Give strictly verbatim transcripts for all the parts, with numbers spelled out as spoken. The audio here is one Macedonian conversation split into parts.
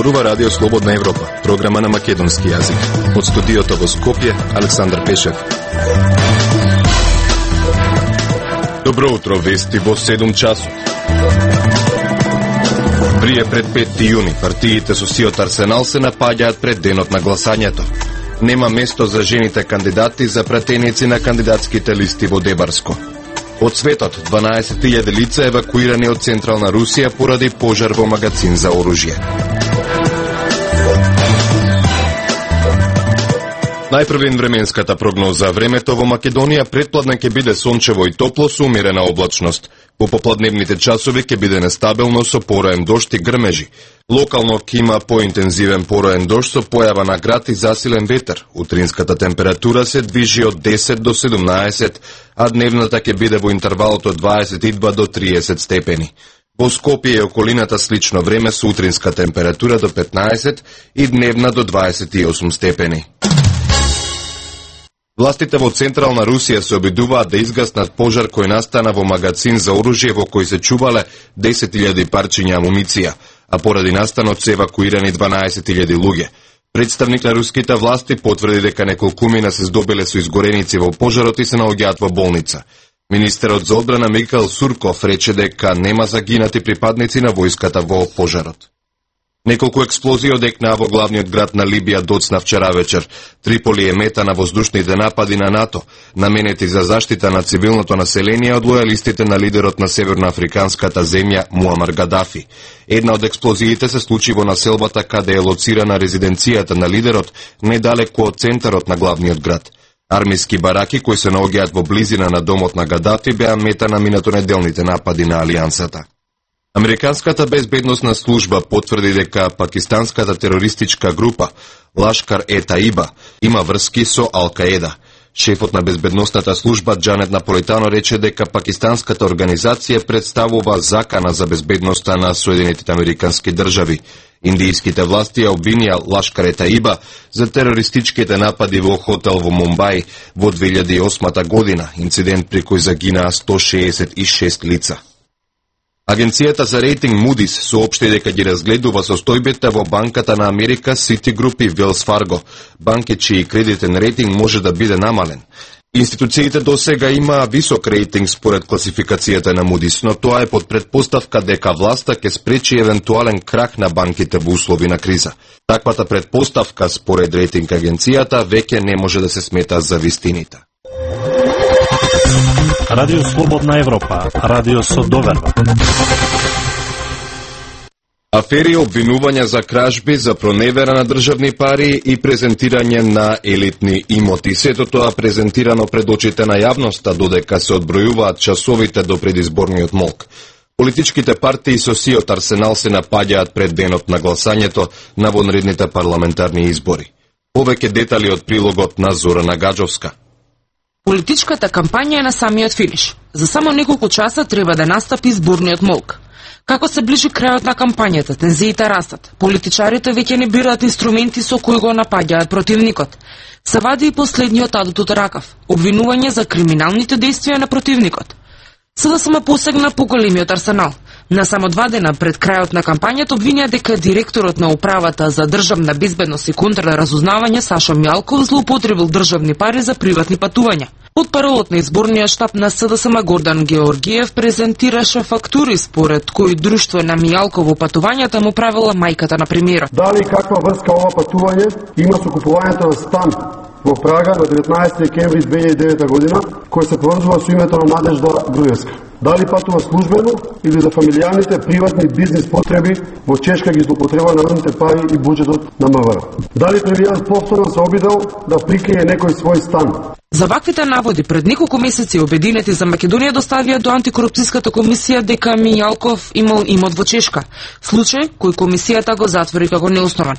зборува Радио Слободна Европа, програма на македонски јазик. Од студиото во Скопје, Александар Пешев. Добро утро, вести во седум часот. Прие пред петти јуни, партиите со сиот арсенал се напаѓаат пред денот на гласањето. Нема место за жените кандидати за пратеници на кандидатските листи во Дебарско. Од светот, дванаесет илјади лица евакуирани од Централна Русија поради пожар во магазин за оружје. Најпрвен временската прогноза. Времето во Македонија претпладне ќе биде сончево и топло со умерена облачност. По попладневните часови ќе биде нестабилно со пороен дожд и грмежи. Локално ќе има поинтензивен пороен дожд со појава на град и засилен ветер. Утринската температура се движи од десет до седумнаесет, а дневната ќе биде во интервалот од дваесет и два до триесет степени. Во Скопје и околината слично време со утринска температура до петнаесет и дневна до дваесет и осум степени. Властите во Централна Русија се обидуваат да изгаснат пожар кој настана во магазин за оружје во кој се чувале десет илјади парчиња амуниција, а поради настанот се евакуирани дванаесет илјади луѓе. Представник на руските власти потврди дека неколкумина се здобиле со изгореници во пожарот и се наоѓаат во болница. Министерот за одбрана Михаил Сурков рече дека нема загинати припадници на војската во пожарот. Неколку експлозии одекнаа во главниот град на Либија доцна вчера вечер. Триполи е мета на воздушните напади на НАТО, наменети за заштита на цивилното население од лојалистите на лидерот на северноафриканската земја Муамар Гадафи. Една од експлозиите се случи во населбата каде е лоцирана резиденцијата на лидерот, недалеку од центарот на главниот град. Армиски бараки кои се наоѓаат во близина на домот на Гадафи беа мета на минатонеделните напади на Алијансата. Американската безбедносна служба потврди дека пакистанската терористичка група Лашкар е Таиба има врски со Ал-Каеда. Шефот на безбедносната служба Джанет Наполитано рече дека пакистанската организација представува закана за безбедноста на Соединетите американски држави. Индијските власти ја обвинија Лашкар е Таиба за терористичките напади во хотел во Мумбај во две илјади и осма година, инцидент при кој загинаа сто шеесет и шест лица. Агенцијата за рейтинг Moody's соопшти дека ги разгледува состојбите во банката на Америка Citigroup и Wells Fargo, банки чиј кредитен рейтинг може да биде намален. Институциите до сега имаа висок рейтинг според класификацијата на Moody's, но тоа е под предпоставка дека власта ќе спречи евентуален крах на банките во услови на криза. Таквата предпоставка според рейтинг агенцијата веќе не може да се смета за вистините. Радио Слободна Европа, радио со доверба. Афери, обвинувања за кражби, за проневера на државни пари и презентирање на елитни имоти. Сето тоа презентирано пред очите на јавноста, додека се одбројуваат часовите до предизборниот молк. Политичките партии со сиот арсенал се напаѓаат пред денот на гласањето на вонредните парламентарни избори. Повеќе детали од прилогот на Зорана Гаджовска. Политичката кампања е на самиот финиш. За само неколку часа треба да настапи изборниот молк. Како се ближи крајот на кампањата, тензиите растат. Политичарите веќе не бираат инструменти со кои го напаѓаат противникот. Се вади и последниот адут од ракав – обвинување за криминалните дејствија на противникот. СДСМ посегна по големиот арсенал. На само два дена пред крајот на кампањата обвинија дека директорот на управата за државна безбедност и контрразузнавање Сашо Мјалков злоупотребил државни пари за приватни патувања. Од паролот на изборниот штаб на СДСМ Гордан Георгиев презентираше фактури според кои друштво на Мјалково патувањата му правила мајката на премиерот. Дали каква врска ова патување има со купувањето на стан во Прага на деветнаесети декември две илјади и девета година, кој се поврзува со името на Надежда Груевска? Дали патува службено или за фамилијаните приватни бизнес потреби во Чешка ги злоупотребува народните пари и буџетот на МВР? Дали премиерот повторно се обидел да прикрие некој свој стан? За ваквите наводи пред неколку месеци Обединети за Македонија доставија до антикорупцијската комисија дека Мијалков имал имот во Чешка, случај кој комисијата го затвори како неоснован.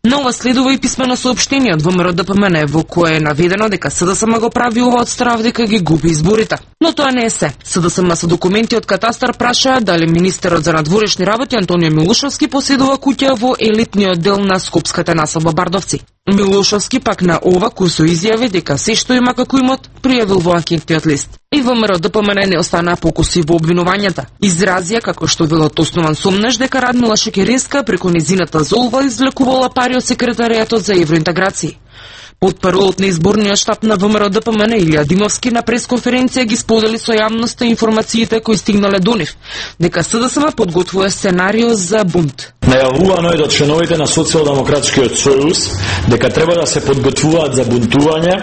На ова следува и писмено соопштение од ВМРО Д П М Н во кое е наведено дека СДСМ го прави ова од страв дека ги губи изборите. Но тоа не е се. СДСМ со документи од катастар прашаа дали министерот за надворешни работи Антонио Милушовски поседува куќа во елитниот дел на скопската населба Бардовци. Милушовски пак на ова курсо изјави дека се што има застапена како имот, пријавил во анкетниот лист. И ВМРО Д П М Н не останаа покуси во обвинувањата. Изразија како што било основан сомнеш дека Радмила Шекеринска преку низината золва извлекувала пари од секретаријатот за евроинтеграција. Потпаролот на изборниот штаб на ВМРО Д П М Н Илија Димовски на пресконференција ги сподели со јавноста информациите кои стигнале до нив, дека С Д С М подготвува сценарио за бунт. Најавувано е до членовите на Социјалдемократскиот сојуз дека треба да се подготвуваат за бунтување,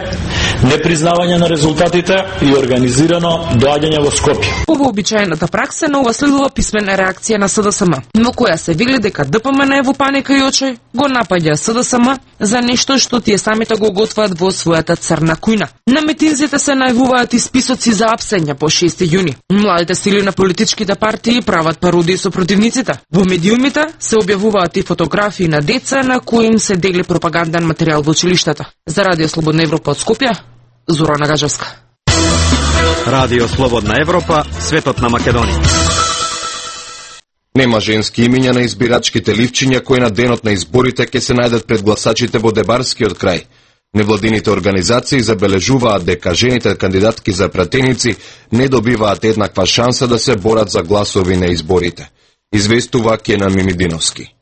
непризнавање на резултатите и организирано доаѓање во Скопје. По вообичаената пракса на ова следува писмена реакција на С Д С М, но која се вели дека Д П М Н е во паника и очај, го напаѓа С Д С М за нешто што тие самите го готваат во својата црна кујна. На митинзите се најавуваат и списоци за апсење по шести јуни. Младите сили на политичките партии прават пародии со противниците. Во медиумите се објавуваат и фотографии на деца на кои им се дели пропаганден материјал во училиштата. За Радио Слободна Европа од Скопје, Зорана Гажевска. Радио Слободна Европа, светот на Македонија. Нема женски имиња на избирачките ливчиња кои на денот на изборите ќе се најдат пред гласачите во Дебарскиот крај. Невладините организации забележуваат дека жените кандидатки за пратеници не добиваат еднаква шанса да се борат за гласови на изборите. Известува Кенан Мимидиновски.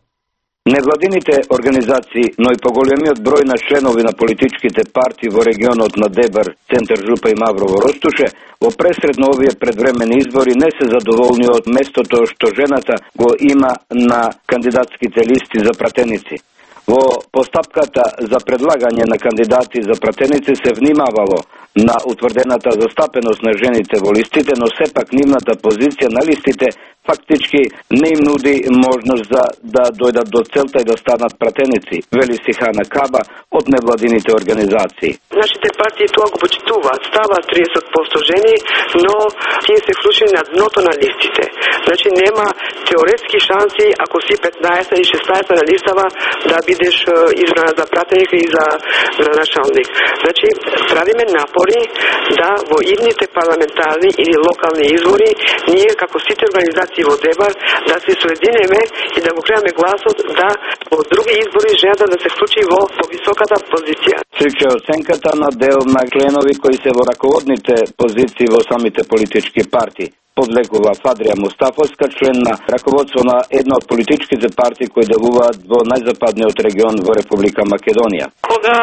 Невладините организации, но и поголемиот број на членови на политичките партии во регионот на Дебар, Центар Жупа и Маврово Ростуше, во пресред на овие предвремени избори не се задоволни од местото што жената го има на кандидатските листи за пратеници. Во постапката за предлагање на кандидати за пратеници се внимавало на утврдената застапеност на жените во листите, но сепак нивната позиција на листите фактички не им нуди можност за да дојдат до целта и да станат пратеници, вели Сихана Каба од невладините организации. Нашите партии тоа го почитуваат, ставаат триесет проценти жени, но тие се вклучени на дното на листите. Значи нема теоретски шанси ако си петнаесет и шеснаесет на листава да бидеш избрана за пратеник и за градоначалник. Значи правиме напори да во идните парламентарни или локални избори ние како сите организации во Дебар да се соединеме и да го креаме гласот да во други избори жената да се вклучи во повисоката позиција. Слича оценката на дел на членови кои се во раководните позиции во самите политички партии. Подлегува Фадрија Мустафовска, член на раководство на една од политичките партии кои делуваат во најзападниот регион во Република Македонија. Кога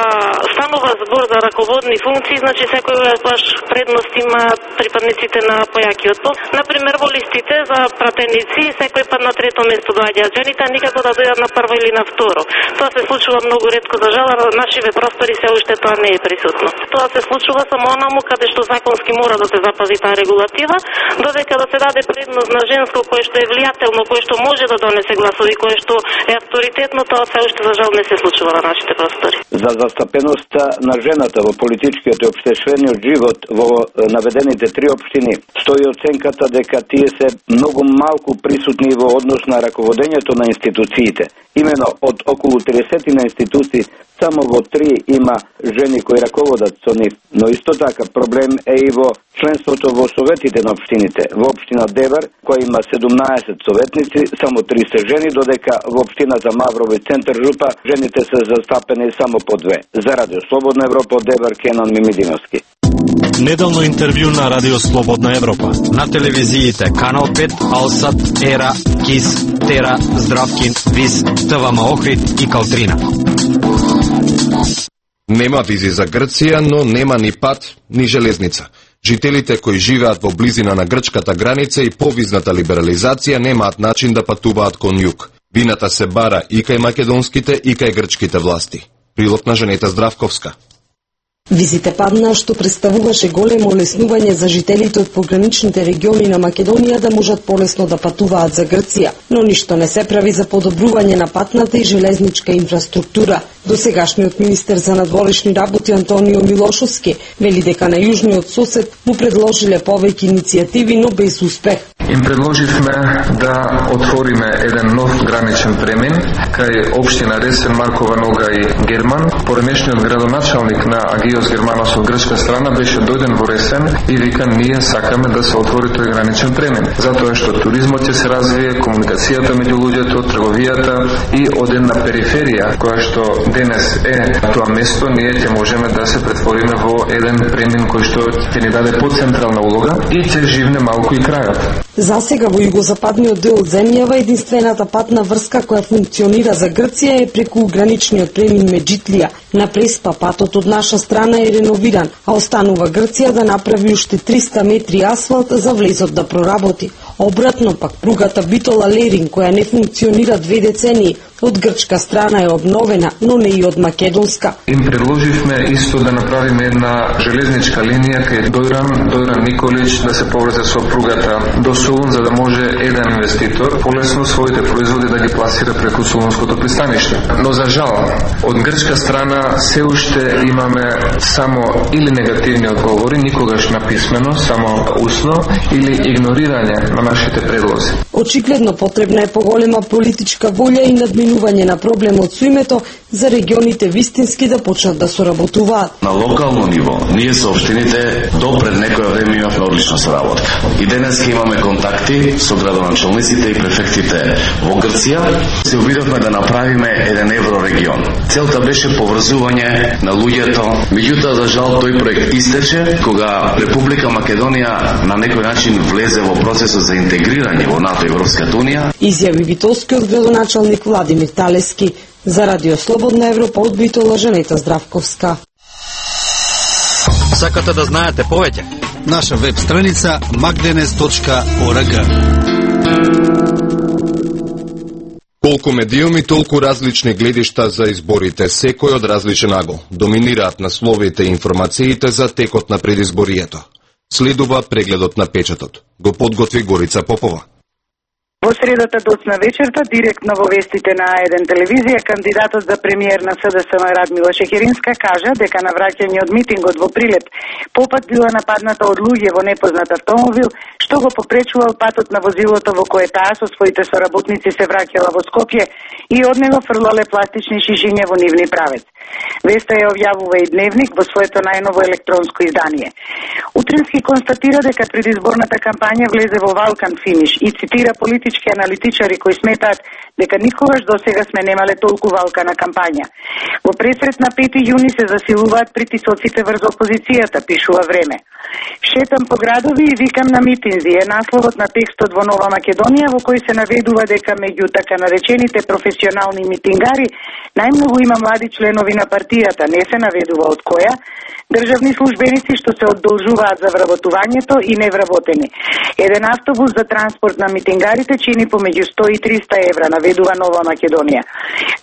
станува збор за раководни функции, значи секој баш предност има припадниците на појакиот пол. Например, во листите за пратеници, секој пат на трето место доаѓаат жените, а никако да дојдат на прво или на второ. Тоа се случува многу ретко, за жал, на нашиве простори се уште тоа не е присутно. Тоа се случува само онаму каде што законски мора да се запази таа регулатива, додека да се даде предност на женско кое што е влијателно, кое што може да донесе гласови, кое што е авторитетно, тоа се уште за жал не се случува на нашите простори. За застапеноста на жената во политичкиот и општествениот живот во наведените три општини стои оценката дека тие се многу малку присутни во однос на раководењето на институциите. Имено од околу триесет на институции само во три има жени кои раководат со нив, но исто така проблем е и во членството во советите на општините. Во општина Дебар, која има седумнаесет советници, само три се жени, додека во општината Маврово и Центар Жупа жените се застапени само по две. За Радио Слободна Европа од Дебар, Кенан Мимидиновски. Неделно интервју на Радио Слободна Европа. На телевизиите Канал пет, Алсат, Ера, Кис, Тера, Здравкин, Вис, ТВМ Охрид и Калтрина. Нема визи за Грција, но нема ни пат, ни железница. Жителите кои живеат во близина на грчката граница и повизната либерализација немаат начин да патуваат кон југ. Вината се бара и кај македонските и кај грчките власти. Прилог на Женета Здравковска. Визите паднаа, што представуваше големо олеснување за жителите од пограничните региони на Македонија да можат полесно да патуваат за Грција, но ништо не се прави за подобрување на патната и железничка инфраструктура. Досегашниот министер за надворешни работи Антонио Милошовски вели дека на јужниот сосед му предложиле повеќе иницијативи, но без успех. им предложивме да отвориме еден нов граничен премин кај општина Ресен, Маркова Нога и Герман. Поремешниот градоначалник на Агиос Германос од грчка страна беше дојден во Ресен и вика ние сакаме да се отвори тој граничен премин, затоа што туризмот ќе се развие, комуникацијата меѓу луѓето, трговијата и од една периферија која што денес е тоа место, ние ќе можеме да се претвориме во еден премин кој што ќе ни даде поцентрална улога и ќе живне малку и крајот. За сега во југозападниот дел од земјава единствената патна врска која функционира за Грција е преку граничниот премин Меджитлија. На Преспа патот од наша страна е реновиран, а останува Грција да направи уште триста метри асфалт за влезот да проработи. Обратно пак пругата Битола-Лерин, која не функционира две децении, од грчка страна е обновена, но не и од македонска. Им предложивме исто да направиме една железничка линија кај Дојран, Дојран Николич да се поврзе со пругата до Солун, за да може еден инвеститор полесно своите производи да ги пласира преку Солунското пристаниште. Но за жал, од грчка страна се уште имаме само или негативни одговори, никогаш написмено, само усно, или игнорирање на нашите предлози. Очигледно потребна е поголема политичка волја и надминување на проблемот со името за регионите вистински да почнат да соработуваат. На локално ниво, ние со општините до пред некоја време имавме одлична соработка. И денес имаме контакти со градоначалниците и префектите во Грција. Се обидовме да направиме еден еврорегион. Целта беше поврзување на луѓето. Меѓутоа, за жал, тој проект истече кога Република Македонија на некој начин влезе во процесот за интегрирање во НАТО и Европската унија. Изјави битолскиот градоначалник Владимир Талески. За Радио Слободна Европа од Битола, Жанета Здравковска. Сакате да знаете повеќе? Наша веб страница magdenes точка org. Колку медиуми, толку различни гледишта за изборите, секој од различен агол. Доминираат насловите и информациите за текот на предизборието. Следува прегледот на печатот. Го подготви Горица Попова. Во средата доцна вечерта, директно во вестите на А еден телевизија, кандидатот за премиер на СДСМ Радмила Шекеринска кажа дека на враќање од митингот во Прилеп попат била нападната од луѓе во непознат автомобил, што го попречувал патот на возилото во кое таа со своите соработници се враќала во Скопје и од него фрлале пластични шишиња во нивни правец. Веста ја објавува и Дневник во своето најново електронско издание. Утрински констатира дека предизборната кампања влезе во валкан финиш и цитира политички аналитичари кои сметаат дека никогаш досега сме немале толку валкана кампања. Во пресрет на пети јуни се засилуваат притисоците врз опозицијата, пишува Време. Шетам по градови и викам на митинзи е насловот на текстот во Нова Македонија, во кој се наведува дека меѓу така наречените професионални митингари најмногу има млади членови на партијата, не се наведува од која, државни службеници што се одолжуваат за вработувањето и невработени. Еден автобус за транспорт на митингарите чини помеѓу сто и триста евра, наведува Нова Македонија.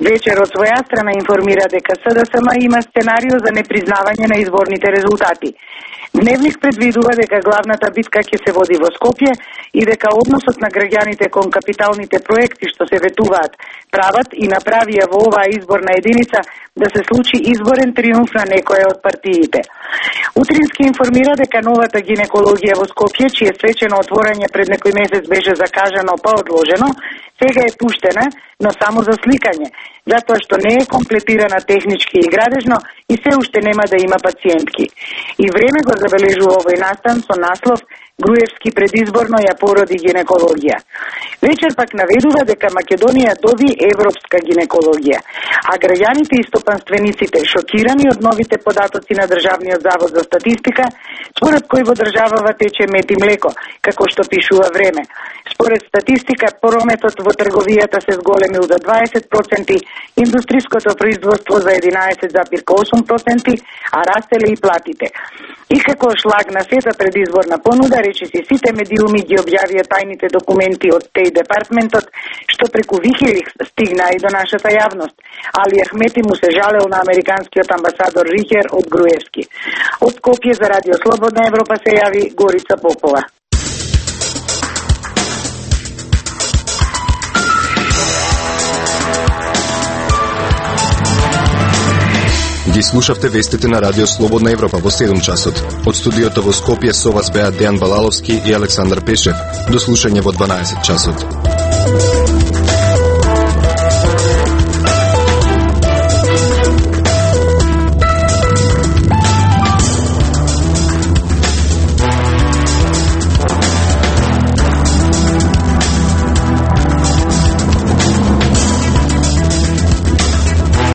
Вечер од своја страна информира дека СДСМ има сценарио за непризнавање на изборните резултати. Дневник предвидува дека главната битка ќе се води во Скопје и дека односот на граѓаните кон капиталните проекти што се ветуваат прават и направија во оваа изборна единица да се случи изборен триумф на некоја од партиите. Утрински информира дека новата гинекологија во Скопје, чие свечено отворање пред некој месец беше закажано па одложено, сега е пуштена, но само за сликање, затоа што не е комплетирана технички и градежно и се уште нема да има пациентки. И Време го забележува овој настан со наслов Груевски предизборно ја породи гинекологија. Вечер пак наведува дека Македонија доби европска гинекологија, а граѓаните и стопанствениците шокирани од новите податоци на Државниот завод за статистика, според кој во државава тече мед и млеко, како што пишува Време. Според статистика, прометот во трговијата се зголемил за дваесет проценти, индустриското производство за единаесет зарез осум проценти, а растеле и платите. И како шлаг на сета предизборна понуда, речиси сите медиуми ги објавија тајните документи од Теј департментот, што преку Вихиликс стигнаа и до нашата јавност. Али Ахмети му се жалел на американскиот амбасадор Рихер од Груевски. Од Скопје за Радио Слободна Европа се јави Горица Попова. Ги слушавте вестите на Радио Слободна Европа во седум часот. Од студиото во Скопје со вас беа Дејан Балаловски и Александар Пешев. До слушање во дванаесет часот.